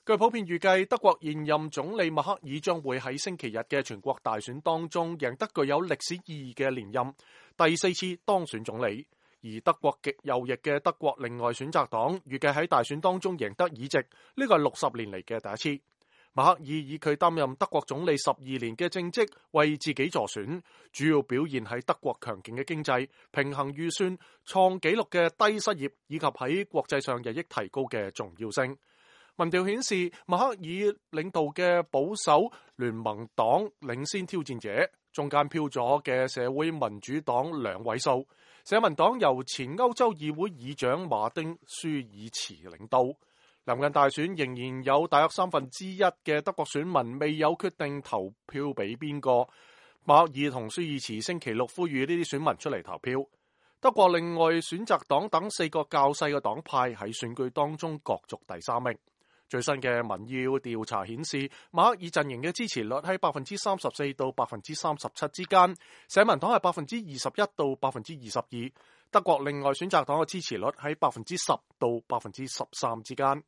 據普遍預計，德國現任總理默克爾將會喺星期日嘅全國大選當中贏得具有歷史意義嘅連任，第4次當選總理。而德國極右翼嘅德國另外選擇黨預計喺大選當中贏得議席，呢個係60年嚟嘅第一次。默克爾以佢擔任德國總理12年嘅政績為自己助選，主要表現喺德國強勁嘅經濟、平衡預算、創紀錄嘅低失業以及喺國際上日益提高嘅重要性。民調顯示，默克爾領導嘅保守聯盟黨領先挑戰者，中間飄咗嘅社會民主黨2位數，社民黨由前歐洲議會議長馬丁舒爾茨領導。臨近大選，仍然有大約1/3嘅德國選民未有決定投票俾邊個。默克爾同舒爾茨星期六呼籲呢啲選民出嚟投票。德國另外選擇黨等4個較細嘅黨派喺選舉當中角逐第3名。最新嘅民意調查顯示，默克爾陣營嘅支持率喺34%到37%之間，社民黨係21%到22%，德國另外選擇黨嘅支持率喺10%到13%之間。